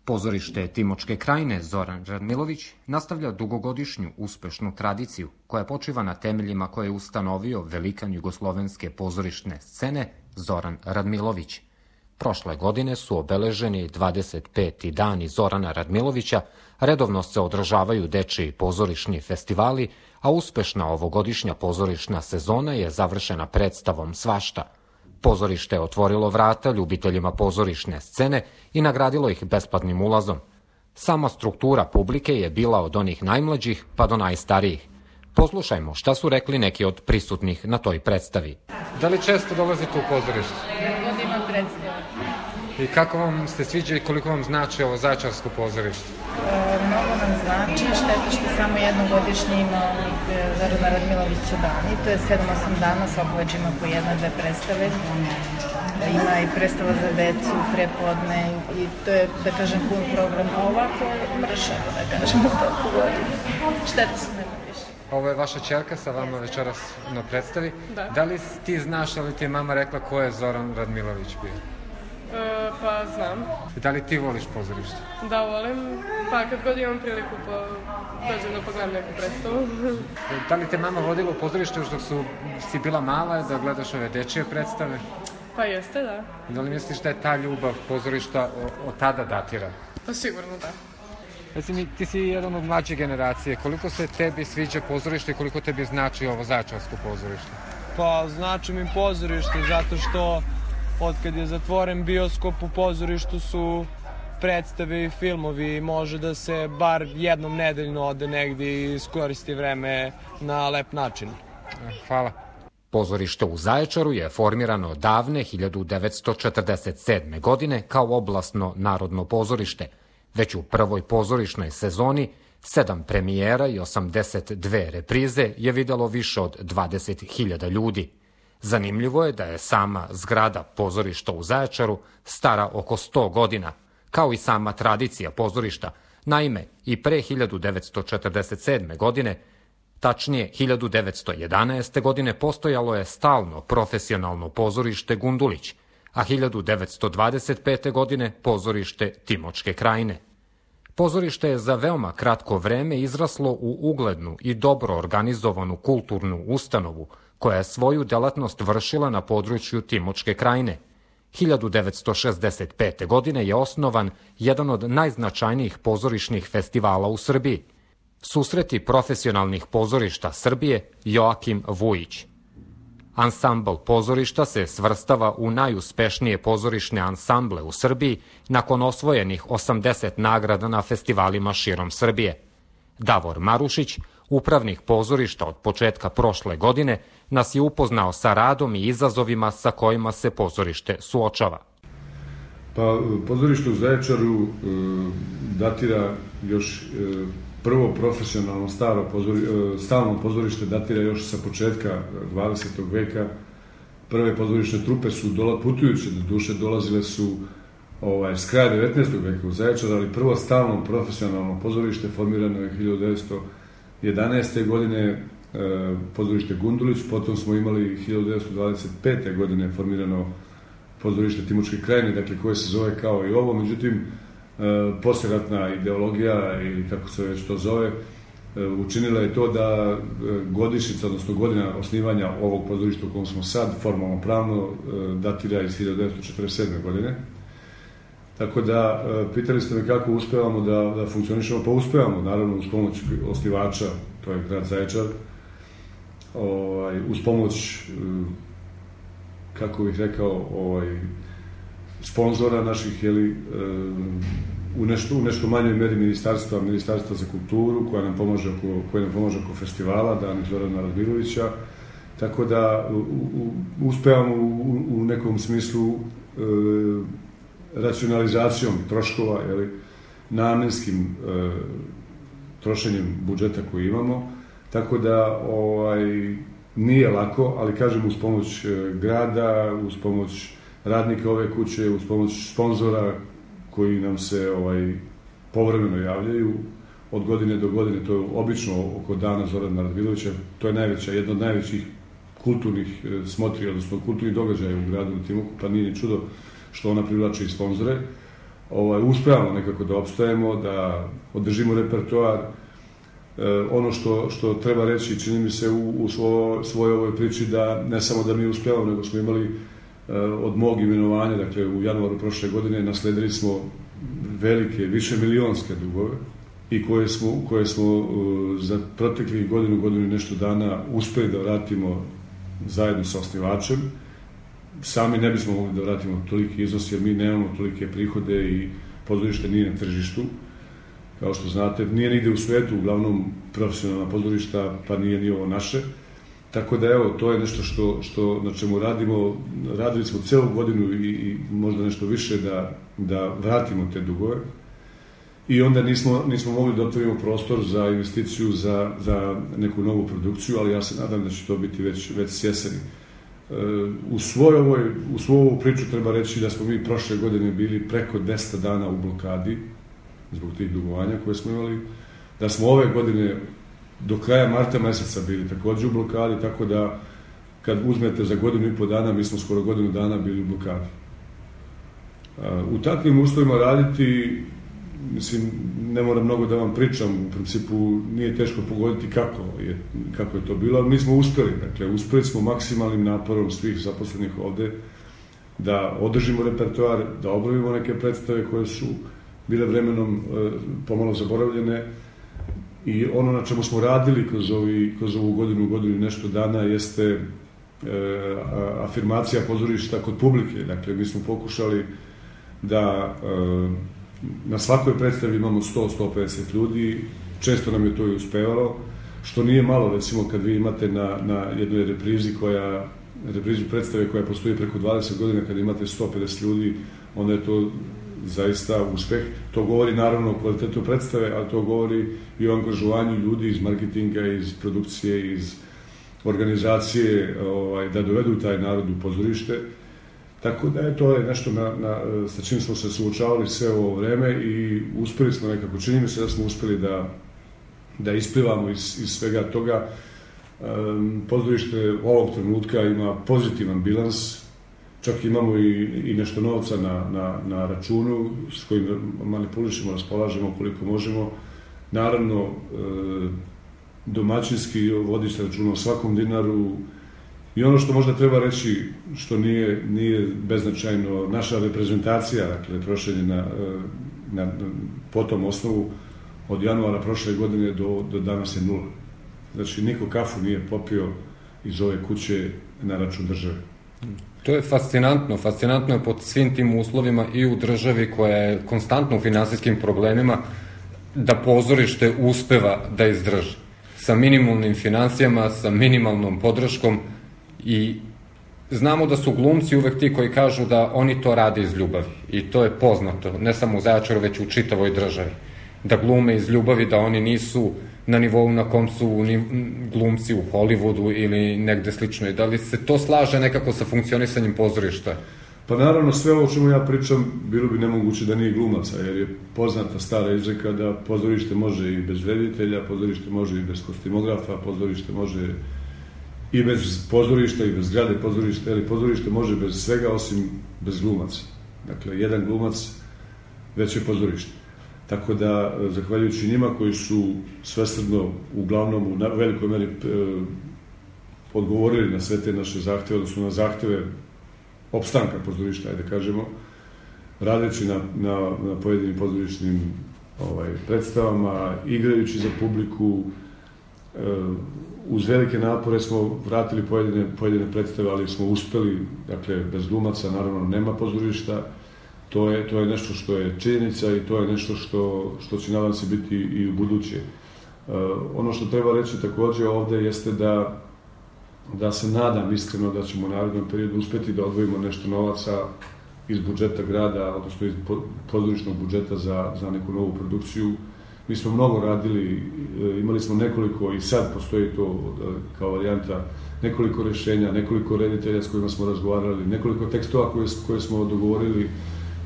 Pozorište Timočke krajine Zoran Radmilović nastavlja dugogodišnju uspešnu tradiciju koja počiva na temeljima koje je ustanovio velikan jugoslovenske pozorišne scene Zoran Radmilović. Prošle godine su obeleženi 25. dani Zorana Radmilovića, redovno se održavaju dečiji pozorišni festivali, a uspešna ovogodišnja pozorišna sezona je završena predstavom Svašta. Pozorište je otvorilo vrata ljubiteljima pozorišne scene i nagradilo ih besplatnim ulazom. Sama struktura publike je bila od onih najmlađih pa do najstarijih. Poslušajmo šta su rekli neki od prisutnih na toj predstavi. Da li često dolazite u pozorište? God imam predstavu. I kako vam se sviđa i koliko vam znači ovo Zaječarsko pozorište? Mnogo nam znači, šteta što samo jednogodišnje ima Zorana Radmilovića dani, to je 7-8 dana, svako već ima po 1-2 predstave. Ima i predstava za decu, prepodne i to je, da kažem, pun program, a ovako mršavo, da kažemo, toliko godina. Šteta se nema više. Ovo je vaša ćerka sa vama večeras na predstavi. Da li ti znaš, ali ti je mama rekla ko je Zoran Radmilović bio? Pa znam. Da li ti voliš pozorište? Da, volim. Pa kad god imam priliku dođem da pogledam neku predstavu. Da li te mama vodila u pozorište još dok si bila mala da gledaš ove dečije predstave? Pa jeste, da. Da li misliš da je ta ljubav pozorišta od tada datira? Pa sigurno da. Reci, ti si jedan od mlađe generacije. Koliko se tebi sviđa pozorište i koliko tebi znači ovo Zaječarsko pozorište? Pa znači mi pozorište zato što od kad je zatvoren bioskop u pozorištu su predstave i filmovi, može da se bar jednom nedeljno ode negdje i iskoristi vreme na lep način. Hvala. Pozorište u Zaječaru je formirano davne 1947. godine kao oblastno narodno pozorište. Već u prvoj pozorišnoj sezoni 7 premijera i 82 reprize je videlo više od 20.000 ljudi. Zanimljivo je da je sama zgrada pozorišta u Zaječaru stara oko 100 godina, kao i sama tradicija pozorišta. Naime, i pre 1947. godine, tačnije 1911. godine, postojalo je stalno profesionalno pozorište Gundulić, a 1925. godine pozorište Timočke krajine. Pozorište je za veoma kratko vreme izraslo u uglednu i dobro organizovanu kulturnu ustanovu, koja je svoju delatnost vršila na području Timočke krajine. 1965. godine je osnovan jedan od najznačajnijih pozorišnih festivala u Srbiji, Susreti profesionalnih pozorišta Srbije Joakim Vujić. Ansambl pozorišta se svrstava u najuspešnije pozorišne ansamble u Srbiji nakon osvojenih 80 nagrada na festivalima širom Srbije. Davor Marušić, upravnik pozorišta od početka prošle godine, nas je upoznao sa radom i izazovima sa kojima se pozorište suočava. Pa, pozorište u Zaječaru datira još prvo profesionalno stalno pozorište datira još sa početka 20. veka. Prve pozorišne trupe su putujuće, do duše dolazile su s kraja 19. veka u Zaječar, ali prvo stalno profesionalno pozorište formirano je 1911. godine pozorište Gundulić, potom smo imali 1925. godine formirano pozorište Timočke krajine, dakle koje se zove kao i ovo, međutim posleratna ideologija ili kako se već to zove učinila je to da godišnjica, odnosno godina osnivanja ovog pozorišta u kojem smo sad formalno pravno datira iz 1947. godine. Tako da, pitali ste me kako uspevamo da funkcionišemo, pa uspevamo, naravno, uz pomoć osnivača, to je grad Zaječar, uz pomoć, kako bih rekao, sponzora naših, u nešto manjoj meri ministarstva za kulturu, koja nam pomaže oko festivala, Dani Zorana Radmilovića, tako da uspevamo u nekom smislu racionalizacijom troškova, namenskim trošenjem budžeta koji imamo, tako da nije lako, ali kažem uz pomoć grada, uz pomoć radnika ove kuće, uz pomoć sponzora koji nam se povremeno javljaju od godine do godine, to je obično oko Dana Zorana Radmilovića, to je jedna od najvećih kulturnih smotri, odnosno kulturnih događaja u gradu Timoku, pa nije ni čudo što ona privlači i sponzore. uspevamo nekako da opstajemo, da održimo repertoar. Ono što treba reći, čini mi se u svojoj ovoj priči, da ne samo da mi uspevamo, nego smo imali od mog imenovanja, dakle u januaru prošle godine, nasledili smo velike, više milionske dugove i koje smo za proteklih godinu i nešto dana uspeli da vratimo zajedno sa osnivačem. Sami ne bismo mogli da vratimo toliki iznos, jer mi nemamo tolike prihode i pozorište nije na tržištu. Kao što znate, nije nigde u svetu, uglavnom profesionalna pozorišta, pa nije ni ovo naše. Tako da, evo, to je nešto na čemu radimo. Radili smo celu godinu i možda nešto više da vratimo te dugove. I onda nismo mogli da otvorimo prostor za investiciju za neku novu produkciju, ali ja se nadam da će to biti već s jeseni. U svoju ovu priču treba reći da smo mi prošle godine bili preko 200 dana u blokadi zbog tih dugovanja koje smo imali, da smo ove godine do kraja marta meseca bili takođe u blokadi, tako da kad uzmete za 1,5 dana, mi smo skoro 1 dana bili u blokadi. U takvim uslovima raditi, mislim, ne moram mnogo da vam pričam, u principu nije teško pogoditi kako je to bilo, ali mi smo uspeli, dakle, uspeli smo maksimalnim naporom svih zaposlenih ovde da održimo repertoar, da obnovimo neke predstave koje su bile vremenom pomalo zaboravljene, i ono na čemu smo radili kroz ovu godinu i nešto dana jeste afirmacija pozorišta kod publike. Dakle, mi smo pokušali da na svakoj predstavi imamo 100-150 ljudi, često nam je to i uspevalo, što nije malo, recimo kad vi imate na jednoj reprizi predstave koja postoji preko 20 godina, kad imate 150 ljudi, onda je to zaista uspeh. To govori naravno o kvalitetu predstave, ali to govori i o angažovanju ljudi iz marketinga, iz produkcije, iz organizacije, da dovedu taj narod u pozorište. Tako da je to nešto sa čim smo se suočavali sve ovo vreme i uspeli smo nekako, čini mi se da smo uspeli da isplivamo iz svega toga. Pozorište ovog trenutka ima pozitivan bilans, čak imamo i nešto novca na računu s kojim manipulišemo, raspolažemo koliko možemo. Naravno, domaćinski vodi se računa o svakom dinaru. I ono što možda treba reći, što nije beznačajno, naša reprezentacija, dakle, trošenje po tom osnovu od januara prošle godine do danas je 0. Znači, niko kafu nije popio iz ove kuće na račun države. To je fascinantno. Fascinantno je pod svim tim uslovima i u državi koja je konstantno u finansijskim problemima da pozorište uspeva da izdrži. Sa minimalnim financijama, sa minimalnom podrškom. I znamo da su glumci uvek ti koji kažu da oni to rade iz ljubavi. I to je poznato, ne samo u Zaječaru, već u čitavoj državi. Da glume iz ljubavi, da oni nisu na nivou na kom su glumci u Hollywoodu ili negde slično. I da li se to slaže nekako sa funkcionisanjem pozorišta? Pa naravno, sve ovo o čemu ja pričam bilo bi nemoguće da nije glumaca, jer je poznata stara izreka da pozorište može i bez reditelja, pozorište može i bez kostimografa, pozorište može i bez pozorišta i bez zgrade pozorišta, ali pozorište može bez svega osim bez glumaca. Dakle, jedan glumac već je pozorište. Tako da, zahvaljujući njima koji su svesrdno, uglavnom u velikoj meri odgovorili na sve te naše zahteve, odnosno na zahteve opstanka pozorišta, ajde kažemo, radeći na pojedinim pozorišnim predstavama, igrajući za publiku. Uz velike napore smo vratili pojedine predstave, ali smo uspeli, dakle, bez glumaca naravno nema pozorišta. To je nešto što je činjenica i to je nešto što će, nadam se, biti i u buduće. Ono što treba reći takođe ovde jeste da se nadam iskreno da ćemo u narednom periodu uspeti da odvojimo nešto novaca iz budžeta grada, odnosno iz pozorišnog budžeta za neku novu produkciju. Mi smo mnogo radili, imali smo nekoliko, i sad postoji to kao varijanta, nekoliko rešenja, nekoliko reditelja s kojima smo razgovarali, nekoliko tekstova koje smo dogovorili.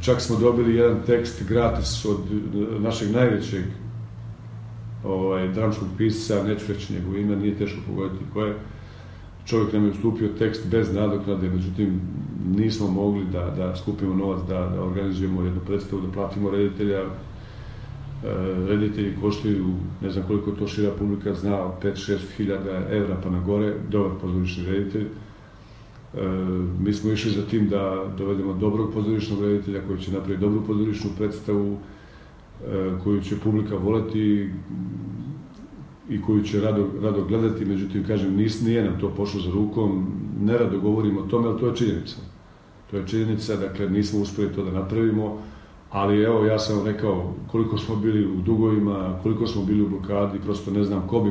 Čak smo dobili jedan tekst gratis od našeg najvećeg dramskog pisca, neću reći njegovo ime, nije teško pogoditi ko je. čovjek nam je ustupio tekst bez nadoknade, međutim nismo mogli da skupimo novac, da organizujemo jednu predstavu, da platimo reditelja. Reditelji koštaju, ne znam koliko to šira publika zna, 5-6 hiljada evra pa na gore, dobar pozorišni reditelj. Mi smo išli za tim da dovedemo dobrog pozorišnog reditelja koji će napraviti dobru pozorišnu predstavu, koju će publika voleti i koju će rado gledati, međutim, kažem, nije nam to pošlo za rukom, nerado govorimo o tome, ali to je činjenica. To je činjenica, dakle, nismo uspeli to da napravimo, ali evo, ja sam rekao koliko smo bili u dugovima, koliko smo bili u blokadi, prosto ne znam ko bi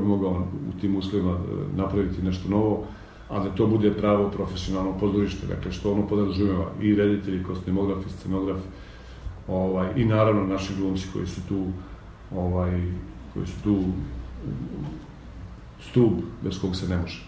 mogao u tim uslovima napraviti nešto novo, a da to bude pravo profesionalno pozorište, dakle, što ono podrazumeva i reditelji, kostimograf i scenograf, i naravno naši glumci koji su tu stub bez kog se ne može.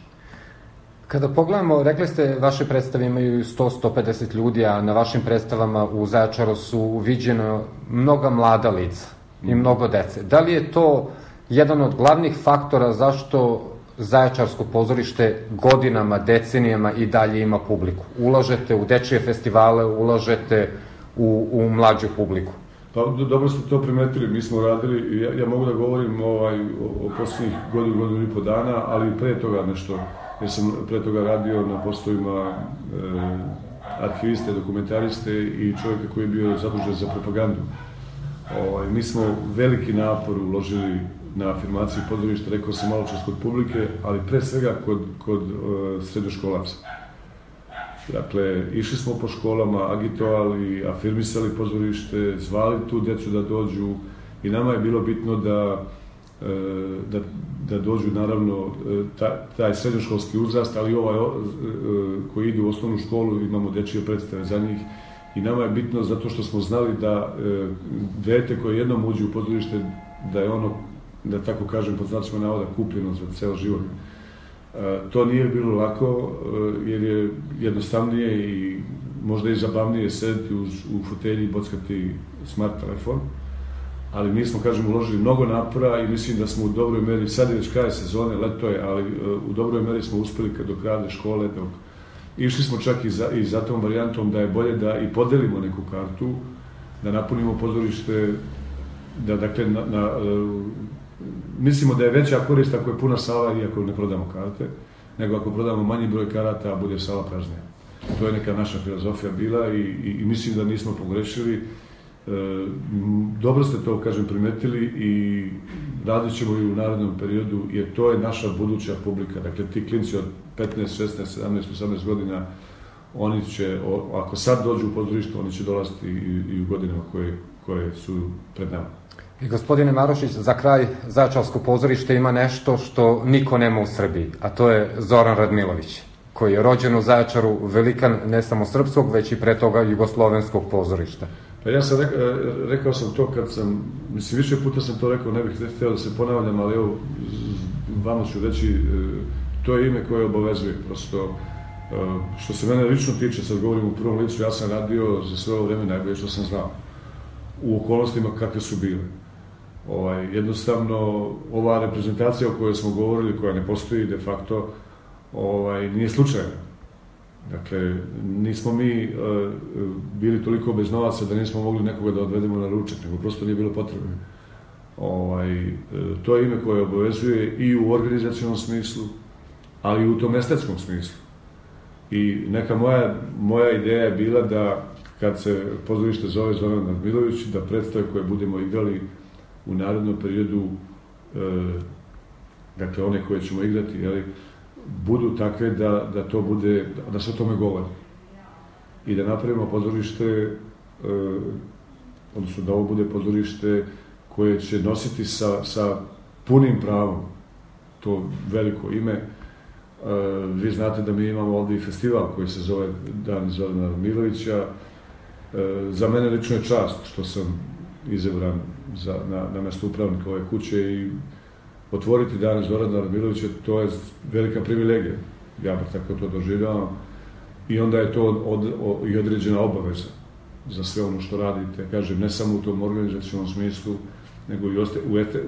Kada pogledamo, rekli ste, vaše predstave imaju 100-150 ljudi, a na vašim predstavama u Zaječaru su viđeno mnoga mlada lica i mnogo dece. Da li je to jedan od glavnih faktora zašto Zaječarsko pozorište godinama, decenijama i dalje ima publiku? Ulažete u dečije festivale, ulažete u mlađu publiku? Pa dobro ste to primetili, mi smo radili, ja mogu da govorim o posljednjih godinu i po dana, ali i pre toga nešto, jer sam pre toga radio na poslovima arhiviste, dokumentariste i čovjeka koji je bio zadužen za propagandu. Mi smo veliki napor uložili na afirmaciju pozorišta, rekao sam malo čas kod publike, ali pre svega kod srednjoškolaca. Dakle, išli smo po školama, agitovali, afirmisali pozorište, zvali tu decu da dođu i nama je bilo bitno da dođu, naravno, taj srednjoškolski uzrast, ali koji ide u osnovnu školu, imamo dečije predstave za njih i nama je bitno zato što smo znali da dete koje jednom uđe u pozorište, da je ono, da tako kažem, pod znacima navoda, kupljeno za ceo život. To nije bilo lako, jer je jednostavnije i možda i zabavnije sedeti u fotelji i bockati smart telefon, ali mi smo, kažem, uložili mnogo napora i mislim da smo u dobroj meri, sad je već kraj sezone, leto je, ali u dobroj meri smo uspeli do kraja škole, išli smo čak i za tom varijantom da je bolje da i podelimo neku kartu, da napunimo pozorište, da, dakle, mislimo da je veća korist ako je puna sala i ako ne prodamo karte, nego ako prodamo manji broj karata, a bude sala praznija. To je neka naša filozofija bila i mislim da nismo pogrešili. Dobro ste to, kažem, primetili i radit ćemo i u narednom periodu, jer to je naša buduća publika. Dakle, ti klinci od 15, 16, 17, 18 godina, oni će, ako sad dođu u pozorište, oni će dolaziti i u godinama koje su pred nama. I gospodine Marošić, za kraj, Zaječarsko pozorište ima nešto što niko nema u Srbiji, a to je Zoran Radmilović, koji je rođen u Zaječaru, velikan ne samo srpskog, već i pre toga jugoslovenskog pozorišta. Pa ja sam rekao sam to kad sam, mislim, više puta sam to rekao, ne bih htio da se ponavljam, ali evo, vama ću reći, to je ime koje obavezuje, prosto, što se mene lično tiče, sad govorim u prvom licu, ja sam radio za sve ovo vreme najbolje što sam znao, u okolnostima kakve su bile. Jednostavno, ova reprezentacija o kojoj smo govorili, koja ne postoji de facto, nije slučajna. Dakle, nismo mi bili toliko bez novaca da nismo mogli nekoga da odvedemo na ručak, nego prosto nije bilo potrebno. To je ime koje obavezuje i u organizacionom smislu, ali i u tom estetskom smislu. I neka moja ideja je bila da, kad se pozorište zove Zoran Radmilović, da predstave koje budemo igrali u narednom periodu, dakle one koje ćemo igrati, budu takve da to bude, da se o tome govori. I da napravimo pozorište, odnosno da ovo bude pozorište koje će nositi sa punim pravom to veliko ime. Vi znate da mi imamo ovdje i festival koji se zove Dan Zorana Radmilovića. Za mene lično je čast što sam izabran na mesto upravnika ove kuće i otvoriti Dan Zorana Radmilovića, to je velika privilegija. Ja bih tako to doživljavam. I onda je to i određena obaveza za sve ono što radite. Kažem, ne samo u tom organizacionom smislu, nego i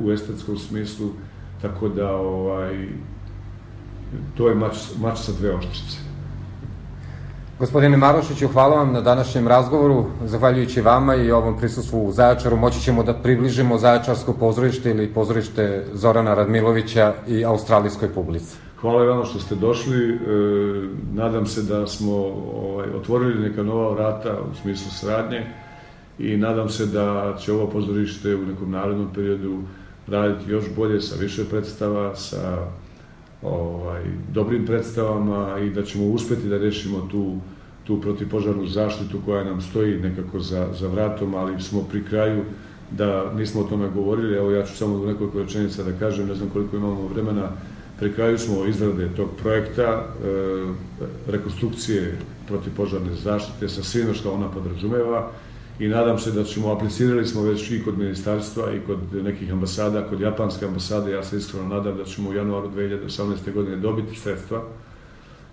u estetskom smislu. Tako da to je mač sa dve oštrice. Gospodine Marošiću, hvala vam na današnjem razgovoru. Zahvaljujući vama i ovom prisustvu u Zaječaru moći ćemo da približimo Zaječarsko pozorište ili pozorište Zorana Radmilovića i australijskoj publici. Hvala vam što ste došli. Nadam se da smo otvorili neka nova vrata u smislu saradnje i nadam se da će ovo pozorište u nekom narednom periodu raditi još bolje, sa više predstava, sa dobrim predstavama i da ćemo uspeti da rešimo tu protivpožarnu zaštitu koja nam stoji nekako za vratom, ali smo pri kraju da nismo o tome govorili. Evo, ja ću samo u nekoliko rečenica da kažem, ne znam koliko imamo vremena. Pri kraju smo izrade tog projekta, rekonstrukcije protivpožarne zaštite sa svime što ona podrazumeva i nadam se da ćemo, aplicirali smo već i kod ministarstva i kod nekih ambasada, kod japanske ambasade, ja se iskreno nadam da ćemo u januaru 2018. godine dobiti sredstva.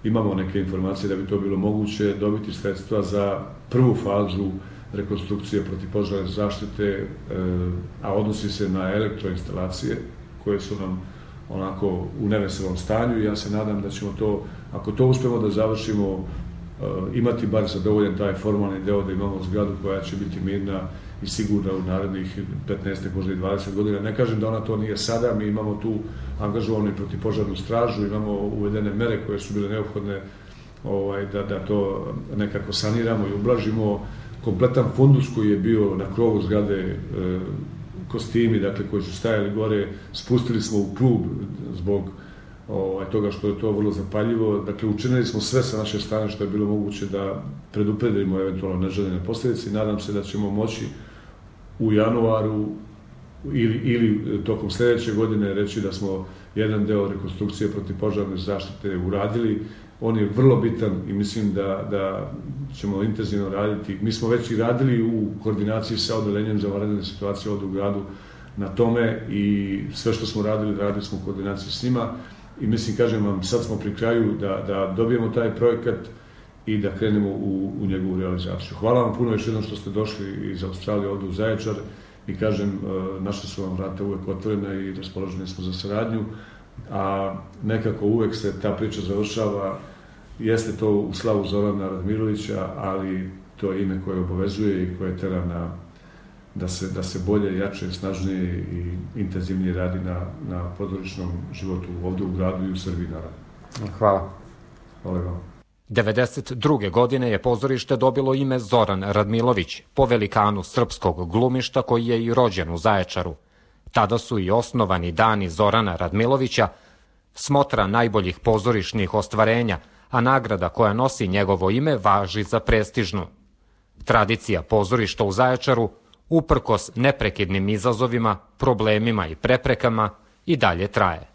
Imamo neke informacije da bi to bilo moguće dobiti sredstva za prvu fazu rekonstrukcije protivpožarne zaštite, a odnosi se na elektroinstalacije koje su nam onako u neveselom stanju i ja se nadam da ćemo to, ako to uspemo da završimo, imati bar zadovoljen taj formalni deo da imamo zgradu koja će biti mirna i sigurna u narednih 15, možda i 20 godina. Ne kažem da ona to nije sada, mi imamo tu angažovanu i protivpožarnu stražu, imamo uvedene mere koje su bile neophodne da to nekako saniramo i ublažimo. Kompletan fundus koji je bio na krovu zgrade, kostimi, dakle, koji su stajali gore, spustili smo u klub zbog toga što je to vrlo zapaljivo. Dakle, učinili smo sve sa naše strane što je bilo moguće da predupredimo eventualno neželjene posljedice i nadam se da ćemo moći u januaru ili tokom sljedeće godine reći da smo jedan deo rekonstrukcije protivpožarne zaštite uradili. On je vrlo bitan i mislim da ćemo intenzivno raditi. Mi smo već i radili u koordinaciji sa odelenjem za vanredne situacije ovdje u gradu na tome i sve što smo radili smo u koordinaciji s njima i mislim, kažem vam, sad smo pri kraju da dobijemo taj projekat i da krenemo u njegovu realizaciju. Hvala vam puno još jednom što ste došli iz Australije ovdje u Zaječar i kažem, naša su vam vrata uvek otvorena i raspoloženi smo za saradnju, a nekako uvek se ta priča završava. Jeste to u slavu Zorana Radmilovića, ali to je ime koje obavezuje i koje tera da se bolje, jače, snažnije i intenzivnije radi na pozorišnom životu ovdje u gradu i u Srbiji, naravno. Hvala. Hvala vam. 1992. godine je pozorište dobilo ime Zoran Radmilović, po velikanu srpskog glumišta koji je i rođen u Zaječaru. Tada su i osnovani dani Zorana Radmilovića, smotra najboljih pozorišnih ostvarenja, a nagrada koja nosi njegovo ime važi za prestižnu. Tradicija pozorišta u Zaječaru, uprkos neprekidnim izazovima, problemima i preprekama, i dalje traje.